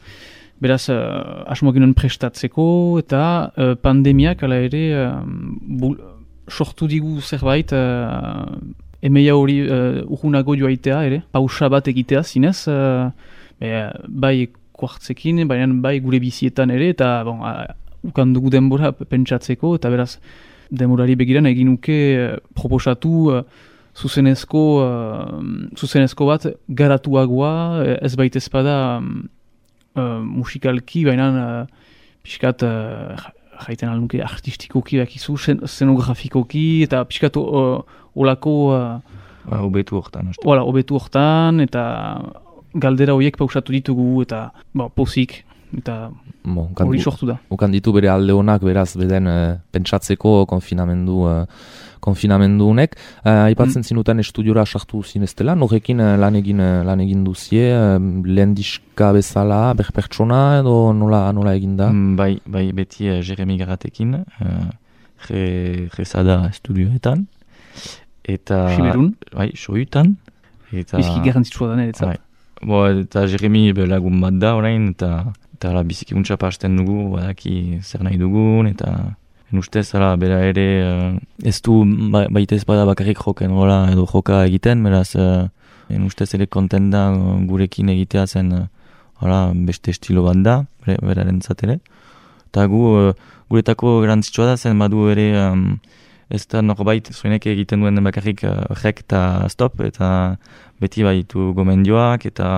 Beraz, uh, asmoak ginen prestatzeko, eta uh, pandemiak ala ere uh, bul, sortu digu zerbait, uh, emeia hori uh, urgunago joaitea ere, pausa bat egitea zinez, uh, be, bai kuartzekin, baina bai gure bizietan ere, eta bon, uh, ukandugu denbora pentsatzeko, eta beraz, denborari begiran egin nuke uh, proposatu uh, zuzenezko, uh, zuzenezko bat garatuagoa, ez baita ezpada, um, Uh, musikalki, baina uh, pixkat uh, jaiten alunke artistikoki bakizu, szenografikoki, eta pixkat uh, olako uh, obetu hortan. Ola, obetu hortan, eta galdera horiek pausatu ditugu, eta ba, pozik, eta bon, hori sortu da. Ukan ditu bere alde honak, beraz, beden uh, pentsatzeko konfinamendu uh, konfinamendu honek. Uh, aipatzen mm. zinuten estudiora sartu zineztela, norrekin uh, lan egin uh, lan egin duzie, uh, lehen diska bezala, berpertsona edo nola, nola egin da? Mm, bai, bai beti uh, Jeremy Garatekin, uh, Rezada estudioetan. Eta... Siberun? Bai, soiutan. Eta... Biziki garrantzitsua da niretzat. Bai. Bo, eta Jeremy lagun bat da orain, eta, eta la, biziki untsa pasten dugu, badaki zer nahi dugun, eta... En ustez, ala, bera ere, uh, ez du ba, baita ez bada bakarrik joken gola edo joka egiten, beraz, uh, en ustez ere konten da uh, gurekin egitea zen uh, ala, beste estilo bat da, beraren zatere. Eta gu, uh, guretako garantzitsua da zen badu ere, um, ez da norbait zuenek egiten duen bakarrik uh, rek eta stop, eta beti baitu gomendioak, eta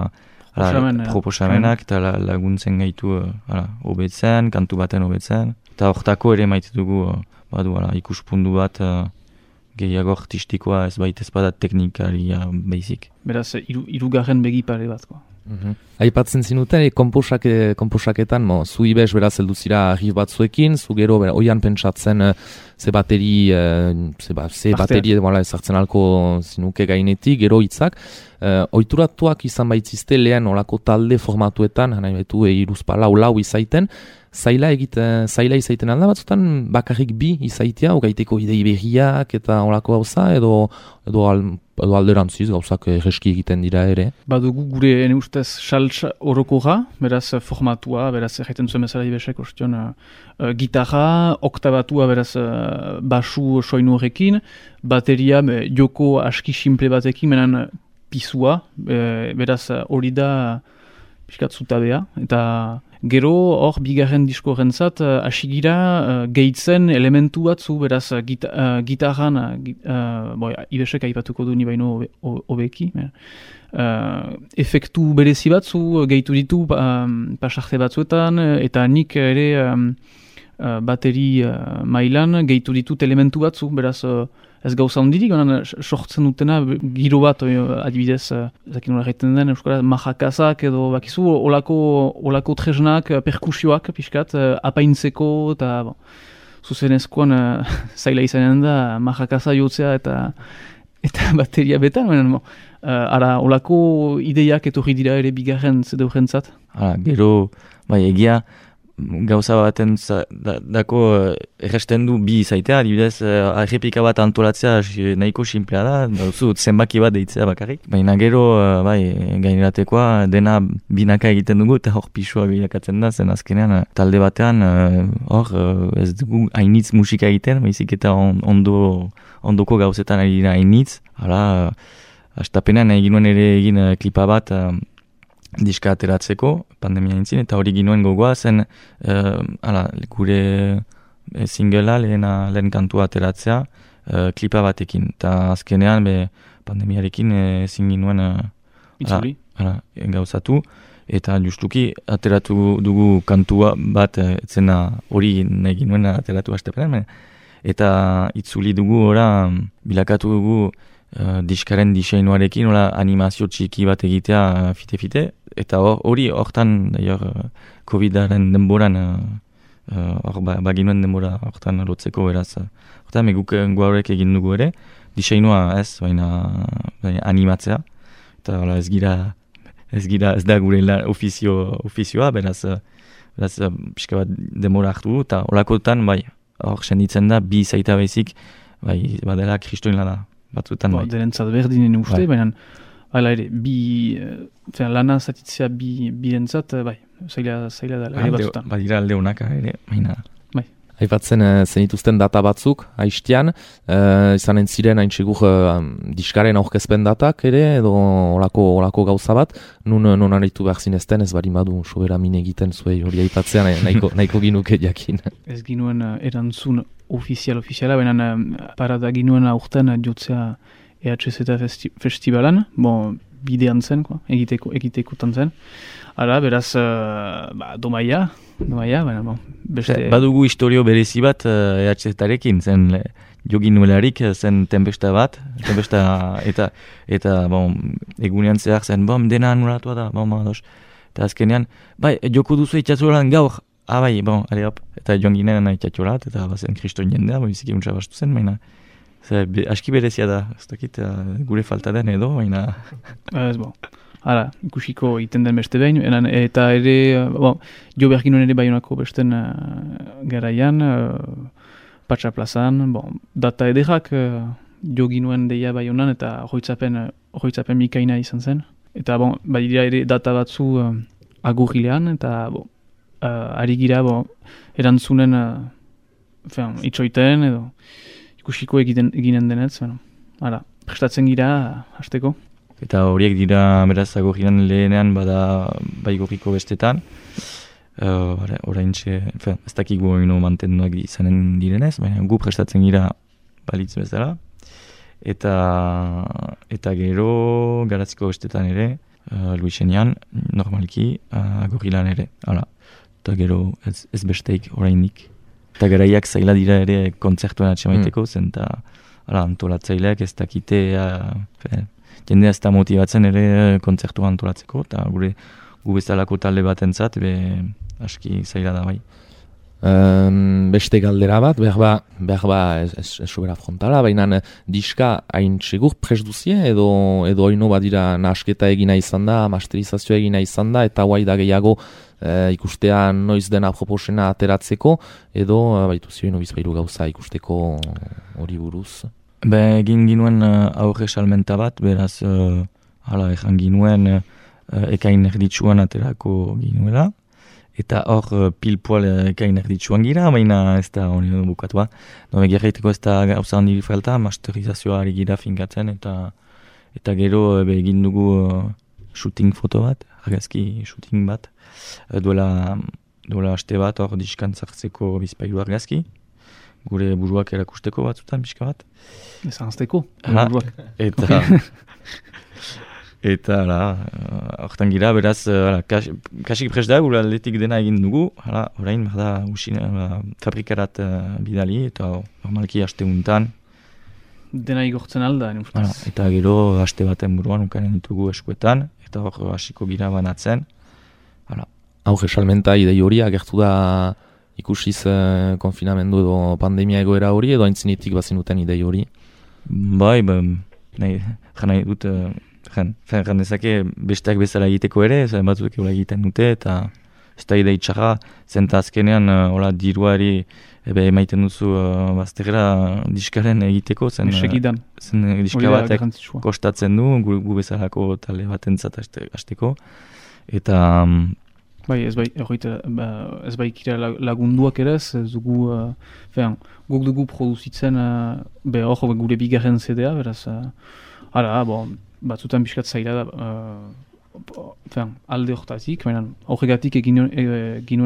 ala, proposamenak, eta la, laguntzen gaitu uh, ala, obetzen, kantu baten obetzen. Eta hortako ere maite dugu, badu, ala, ikuspundu bat uh, gehiago artistikoa ez baita ezpada teknikaria baizik. Beraz, iru, irugarren begipare bat. Mm-hmm. Aipatzen zinuten, komposake, komposaketan, mo, zu ibes beraz heldu zira rif batzuekin, zu gero bera, oian pentsatzen uh, ze bateri, uh, ze, ba, ze bateri voilà, ezartzen alko zinuke gainetik, gero hitzak. Uh, oituratuak izan baitzizte lehen olako talde formatuetan, nahi betu e, iruzpala lau izaiten, zaila egiten, zaila izaiten alda batzutan bakarrik bi izaitea, ogaiteko idei berriak eta olako gauza, edo, edo, al, edo alderantziz gauzak erreski egiten dira ere. Badugu gure ene ustez saltsa orokoga, beraz formatua, beraz egiten zuen bezala ibesek ostion uh, uh, gitarra, oktabatua beraz uh, basu soinu horrekin, bateria uh, joko aski simple batekin, menan pisua, uh, beraz hori uh, da piskat zutabea, eta gero hor bigarren disko rentzat hasigira uh, uh, gehitzen elementu batzu, beraz uh, gita, uh, gitarran, uh, boi, ibesek aipatuko du ni baino hobeki, uh, efektu berezi batzu gehitu ditu um, pasarte batzuetan, eta nik ere um, uh, bateri uh, mailan gehitu ditut elementu batzu, beraz uh, ez gauza hondirik, sortzen dutena giro bat, adibidez, zakin nola egiten den, euskaraz, majakazak edo bakizu, olako, olako tresnak, perkusioak, pixkat, apaintzeko, eta bon, zuzenezkoan zaila izanen da, majakaza jotzea eta eta bateria betan, bon, ara, olako ideiak etorri dira ere bigarren zedeurentzat. Hala, gero, bai, egia, gauza baten da, dako erresten du bi izaitea, adibidez, errepika bat antolatzea nahiko simplea da, dauzu zenbaki bat deitzea bakarrik. Baina gero, bai, gaineratekoa dena binaka egiten dugu, eta hor pisua bilakatzen da, zen azkenean talde batean, hor, ez dugu hainitz musika egiten, baizik eta ondo, ondoko gauzetan ari dira hainitz. Hala, astapenean egin nuen ere egin klipa bat, diska ateratzeko, pandemia intzin, eta hori ginuen gogoa zen, uh, ala, gure e, singela, lehen, lehen kantua ateratzea, uh, klipa batekin. Eta azkenean, be, pandemiarekin eh, ezin ginuen uh, Itzuli. Ara, gauzatu. Eta justuki ateratu dugu kantua bat, eh, etzena hori nahi ginuen ateratu hastepenean. Eta itzuli dugu ora, bilakatu dugu uh, diskaren diseinuarekin, ora animazio txiki bat egitea fite-fite. Eta hori hortan, uh, Covidaren denboran, hor uh, uh, baginuen denbora hortan lotzeko beraz. Hortan, meguk gaurek egin dugu ere, diseinua ez, baina, baina animatzea. Eta ora, ez gira, ez gira, ez da gure la, ofizio, ofizioa, beraz, beraz pixka bat denbora hartu, eta holakotan, bai, hor senditzen da, bi zaita bezik, bai, badela kristoin lana, batzutan, bai. Derentzat berdinen uste, bai. Baina, hala ere, bi, uh, lana zatitzea bi, bi entzat, bai, zaila, zaila da, ere batzutan. Badira alde honak, ere, baina. Bai. Aipatzen uh, zenituzten data batzuk, haiztian, uh, izanen ziren hain segur uh, diskaren aurkezpen datak ere, edo olako, olako gauza bat, nun, nun aritu behar zinezten, ez bari madu sobera mine egiten zuei hori aipatzean, nahiko, nahiko ginuke jakin. Ez ginuen uh, erantzun ofizial-ofiziala, baina uh, parada ginuen aurten uh, jotzea E H Z festi festivalan, bon, bidean zen, ko, egiteko, egitekotan zen. Ara, beraz, uh, ba, domaia, domaia, baina, bon, beste... Badugu historio berezi bat uh, E H Z-arekin, zen le, jogin nuelarik zen tempesta bat, tempesta eta, eta bon, egunean zehar zen, bom, dena anulatua da, bom, ados. Eta azkenean, bai, joko duzu itxatzolan gaur, ah, bai, bon, ale hop, eta joan ginen itxatzolat, eta bazen kriston jendea, bon, biziki untsa bastu zen, baina, ze, be, aski berezia da, ez dakit, uh, gure falta den edo, baina... Ez, bon. Hala, ikusiko iten den beste behin, enan, eta ere, bon, jo behar ginoen ere Baionako besten uh, garaian, uh, Patsa plazan, bon, data ederrak uh, jo ginoen deia Baionan, eta hoitzapen, hoitzapen mikaina izan zen. Eta, bon, badira ere data batzu uh, agurrilean, eta, bon, uh, ari gira, bon, erantzunen, uh, fean, itxoiten, edo, ikusiko egiten, eginen denetz, bueno, hala, prestatzen gira, uh, hasteko. Eta horiek dira beraz agorrian lehenean bada Baigorriko bestetan. Uh, Orain txe, ez dakik gu ino mantenduak izanen direnez, baina gu prestatzen gira balitz bezala. Eta, eta gero Garatziko bestetan ere, uh, Luisenean, normalki uh, agorrilan ere. Hala. Eta gero ez, ez besteik orainik. Eta garaiak zaila dira ere kontzertuan atxemaiteko, mm. zen eta antolatzaileak ez dakite... Uh, Jende ez da motibatzen ere kontzertua antolatzeko, eta gure gu bezalako talde batentzat be aski zaila da bai. Um, beste galdera bat, behar ba, behar ba ez, ez, ez sobera frontala, baina diska hain segur prest duzie, edo, edo oino badira nahasketa egina izan da, masterizazioa egina izan da, eta guai da gehiago e, ikustea noiz dena proposena ateratzeko, edo baitu zioino bizpairu gauza ikusteko hori buruz. Be, egin ginuen uh, aurre salmenta bat, beraz, uh, hala, ejan ginuen uh, ekain erditsuan aterako ginuela. Eta hor uh, pilpoal uh, ekain erditsuan gira, baina ez da hori bukatua. Dome gerraiteko ez da gauza handiri falta, masterizazioa ari gira finkatzen, eta eta gero uh, be, egin dugu uh, shooting foto bat, argazki shooting bat. Uh, duela, duela aste bat, hor diskan zartzeko bizpailu argazki. Gure buruak erakusteko batzutan, pixka bat. Ez anzteko, buruak. Eta, eta, ala, hortan gira, beraz, ala, kas, kasik prest da, gure aldetik dena egin dugu, ala, orain, berda, usina, fabrikarat uh, bidali, eta normalki haste untan. Dena igortzen alda, ene ustez. Eta gero, haste baten buruan, ukanen ditugu eskuetan, eta hor hasiko gira banatzen. Ala. Hau esalmenta idei hori agertu da, ikusiz uh, konfinamendu edo pandemia egoera hori, edo aintzinetik bazinuten idei hori? Bai, ba, nahi, nahi dut, uh, jan, jan dezake besteak bezala egiteko ere, zen batzuk egola egiten dute, eta ez da idei txarra, zenta azkenean, uh, hola, diruari ebe emaiten duzu uh, bazterra diskaren egiteko, zen, uh, zen diska batek kostatzen du, gu, gu bezalako talde batentzat hasteko, eta... Um, Bai, ez bai, erroita, ba, ez bai kira lagunduak ere, ez dugu, uh, fean, guk dugu produzitzen, uh, be hor, gure bigarren C D A, beraz, uh, ara, bon, batzutan biskat zaila da, uh, fean, alde hortatik, baina horregatik egin e,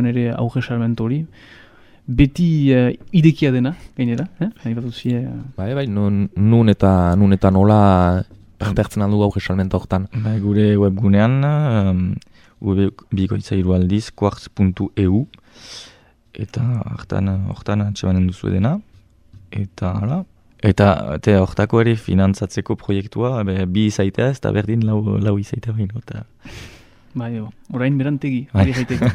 ere aurre salment hori, beti uh, idekia dena, gainera, eh? Haibatu zie... Uh... Bai, bai, nun, nun eta, nun eta nola pertertzen aldu gau gesalmenta hortan. Bai, gure webgunean, um, bikoitza hiru aldiz, quartz puntu e u, eta hortan, hortan atxemanen duzu edena, eta hala. Eta te hortako ere finantzatzeko proiektua, be, bi izaitea ez, eta berdin lau, lau izaitea baino. Eta... Bai, jo, orain berantegi, ari jaiteko.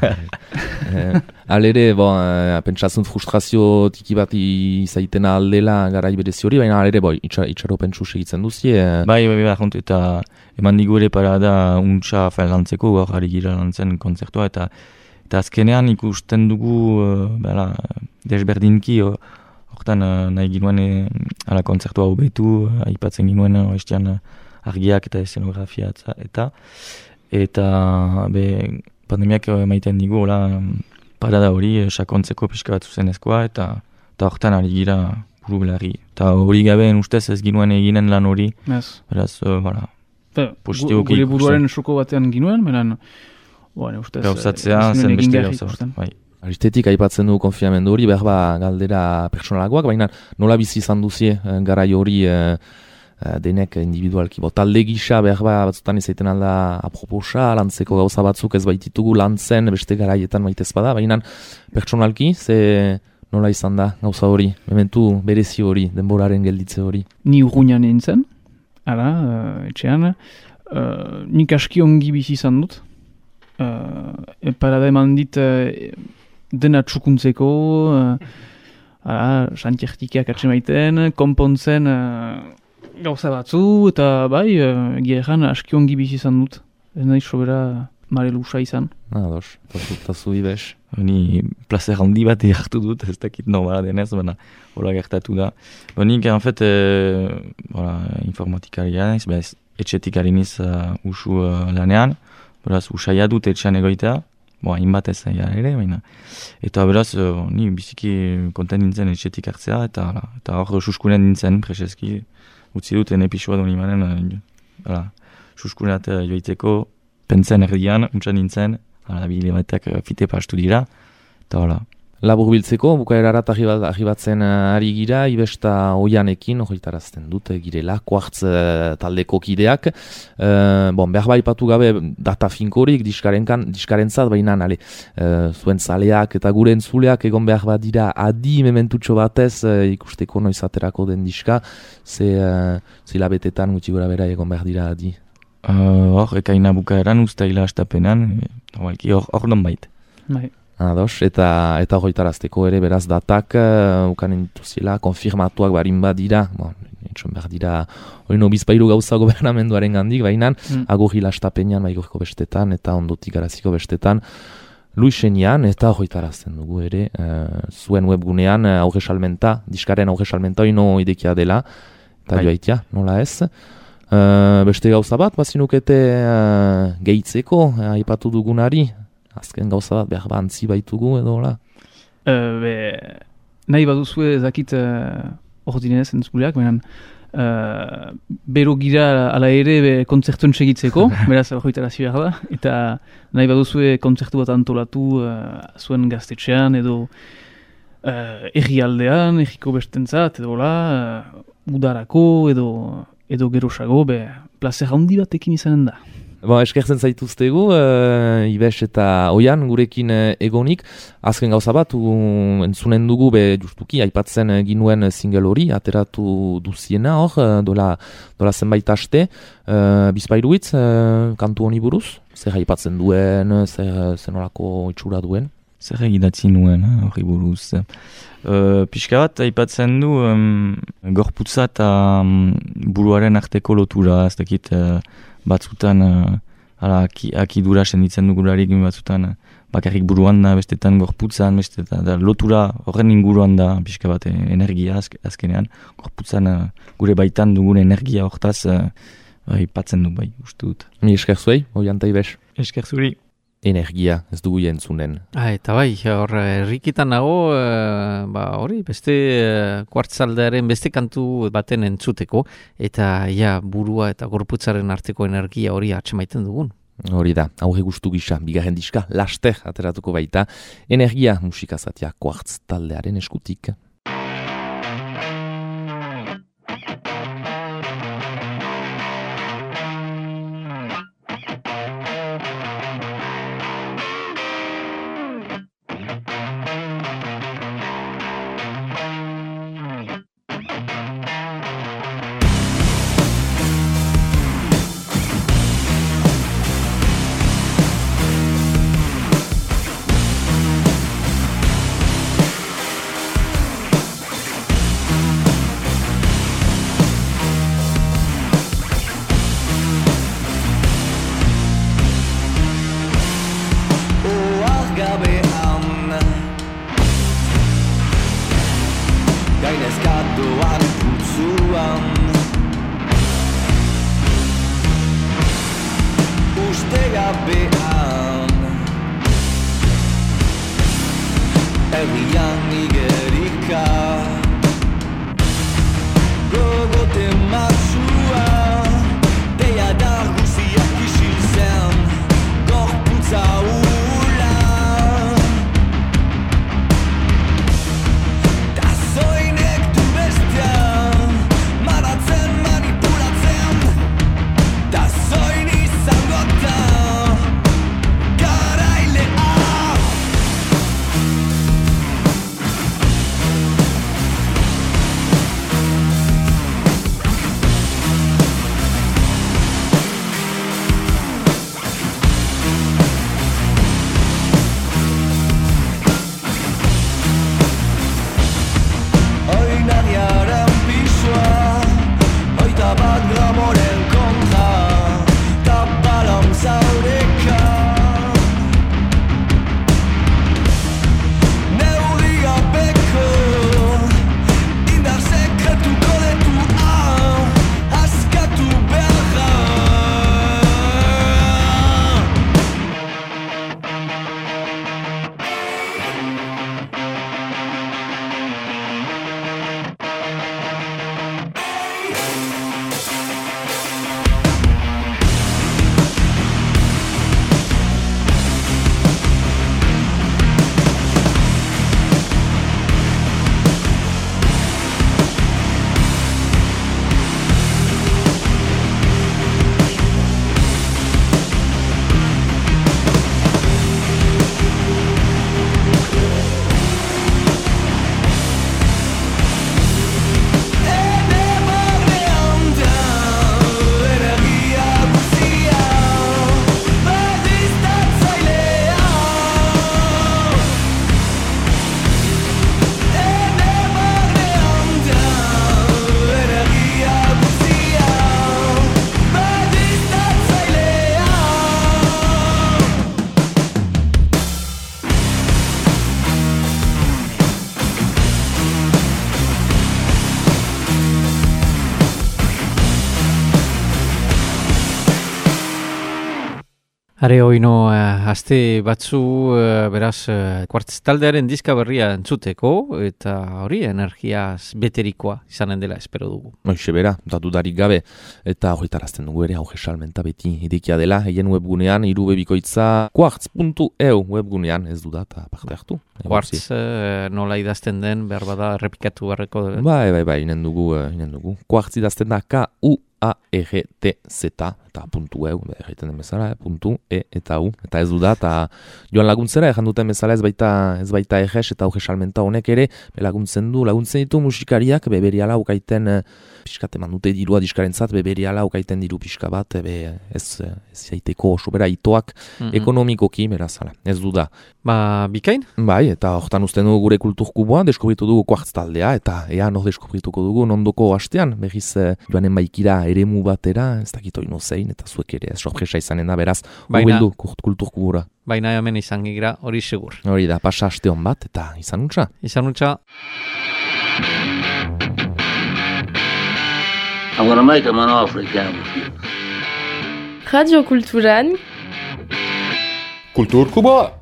eh, alere, bon, eh, pentsatzen frustrazio tiki bat izaiten aldela garai berezi hori, baina alere, boi, itxar, itxaro pentsu segitzen duzi. Eh. Bai, bai, bai, jontu, eta eman digu ere parada untxa fail lantzeko, gaur ari gira lantzen kontzertua, eta eta azkenean ikusten dugu, uh, bera, desberdinki, uh, hortan uh, nahi ginuen e, ala kontzertua hobetu, uh, aipatzen ginuen uh, estian uh, argiak eta eszenografia eta eta be, pandemiak emaiten digu hola parada hori uh, sakontzeko pixka bat zuzenezkoa eta eta hortan ari gira buru belarri. Eta hori gabeen ustez ez ginuen eginen lan hori, yes. Beraz, uh, voilà, positiboki ikusten. Gure buruaren soko batean ginuen, beran, bueno, ustez... Gauzatzea, zen beste gauza bat, bai. Aristetik aipatzen du konfinamendu hori, behar ba galdera pertsonalagoak, baina nola bizi izan duzie garai hori e, denek individualki. Bo, talde gisa behar ba batzutan izaiten alda aproposa, lantzeko gauza batzuk ez baititugu lantzen beste garaietan maitez bada, baina pertsonalki, ze nola izan da gauza hori, mementu berezi hori, denboraren gelditze hori. Ni urruñan nintzen, ara, uh, etxean, uh, nik aski ongi bizi izan dut, uh, e parada eman dit, uh, dena txukuntzeko, uh, santiertikiak atxemaiten, konpontzen uh, gauza batzu, eta bai, uh, geheran aski ongi bizi izan dut. Ez nahi sobera mare lusa izan. Ah, dos, tazu ibes. Ni placer handi bat hartu dut, ez dakit normala denez, baina hola gertatu da. Ba, nik, en fet, e, voilà, informatikaria naiz, bez, etxetik hariniz uh, usu uh, lanean, beraz, usaia dut etxean egoitea, Boa, inbat ez ja ere, baina. Eta beraz, uh, ni biziki konten nintzen etxetik hartzea, eta eta hor suskunen nintzen, preseski, utzi dut enepisua duen imanen, uh, suskunat uh, joiteko, pentzen erdian, untsan nintzen, ala, bile batek uh, fite pastu dira, eta hola. Labur biltzeko, bukaerarat ahibatzen ari gira, ibesta oianekin, horretarazten dut, girela, kuartz uh, taldeko kideak. Uh, bon, behar baipatu gabe data finkorik, diskarentzat, baina ale, uh, zuen zaleak eta gure entzuleak egon behar badira adi mementutxo batez uh, ikusteko noiz aterako den diska, ze uh, zilabetetan gutxi gora bera egon behar dira adi. Hor, uh, ekaina bukaeran, ustaila astapenan, hor hor non bait. Bai. Ados, eta eta hoitarazteko ere beraz datak uh, ukanen dituziela, konfirmatuak barin badira, bon, etxon behar dira, hori no bizpairu gauza gobernamenduaren gandik, baina mm. agurri lastapenean, baigurko bestetan, eta ondotik garaziko bestetan, Luisenian, eta hoitarazten dugu ere, uh, zuen webgunean uh, aurre salmenta, diskaren aurre salmenta hori no idekia dela, eta bai. Joaitia, nola ez. Uh, beste gauza bat, bazinukete uh, gehitzeko, uh, aipatu dugunari, azken gauza bat behar bantzi baitugu edo, hola? Uh, be, nahi baduzue zakit hor uh, dinez entzuleak, baina uh, bero gira ala ere be, kontzertuen segitzeko, beraz horretarazi behar da, eta nahi baduzue kontzertu bat antolatu uh, zuen gaztetxean edo uh, errialdean, erriko bestentzat, edo hola, uh, udarako edo, edo gerosago, be, plazer handi batekin izanen da. Bon, eskertzen zaituztegu, uh, Ibes eta Oian gurekin uh, egonik. Azken gauza bat, uh, entzunen dugu, be, justuki, aipatzen uh, ginuen single hori, ateratu duziena hor, uh, dola, dola zenbait aste. Uh, Bizpairuitz, uh, kantu honi buruz? Zer aipatzen duen, zer, zer nolako itxura duen? Zer egidatzi nuen, hori buruz. Uh, Pixka bat, aipatzen du, um, gorputza eta um, buruaren arteko lotura, ez dakit... Uh, batzutan uh, ala, aki, akidura senditzen dugularik batzutan uh, bakarrik buruan da, bestetan gorputzan, bestetan da, lotura horren inguruan da pixka bat energia azk, azkenean, gorputzan uh, gure baitan dugun energia hortaz uh, aipatzen du bai, uste dut. Mi esker zuei, Oian eta Ibes. Esker zuri. Energia, ez dugu jentzunen. Ah, eta bai, hor errikitan nago, uh, ba, hori, beste uh, kuartzaldearen beste kantu baten entzuteko, eta ja, burua eta gorputzaren arteko energia hori atxemaiten dugun. Hori da, aurre gustu gisa, bigarren diska, laster ateratuko baita, energia musikazatia Quartz taldearen eskutik. Are oino, uh, aste batzu, uh, beraz, uh, Quartz taldearen diska berria entzuteko, eta hori energiaz beterikoa izanen dela espero dugu. Hoxe bera, datu darik gabe, eta horretarazten dugu ere, hauge salmenta beti idekia dela, eien webgunean, irubebikoitza, quartz puntu e u webgunean, ez duda, eta parte hartu. Quartz uh, nola idazten den, behar bada, errepikatu barreko. Eh? Bai, bai, bai, inen dugu, uh, inen dugu. Quartz idazten da, K U A R T Z, eta puntu eu, egiten den bezala, eh, puntu e eta u, eta ez du da, eta joan laguntzera, ejan duten bezala ez baita, ez baita eges, eta auge salmenta honek ere, be laguntzen du, laguntzen ditu musikariak, be beriala ukaiten, piskat eman dute dirua diskarentzat, be beriala ukaiten diru pixka bat, be ez, ez jaiteko oso bera itoak mm-hmm. ekonomikoki, berazala, ez du da. Ba, bikain? Bai, eta hortan usten dugu gure kulturkuboa, deskubritu dugu Quartz taldea, eta ea no deskubrituko dugu nondoko hastean, behiz joanen baikira eremu batera, ez dakito ino zein, eta zuek ere sorpresa izanen da, beraz, hubildu kulturkubura. Baina hemen izan gira, hori segur. Hori da, pasa aste hon bat, eta izan untza. Izan untza. I'm gonna make him an offer again. Radio Kulturan Kulturkuboa!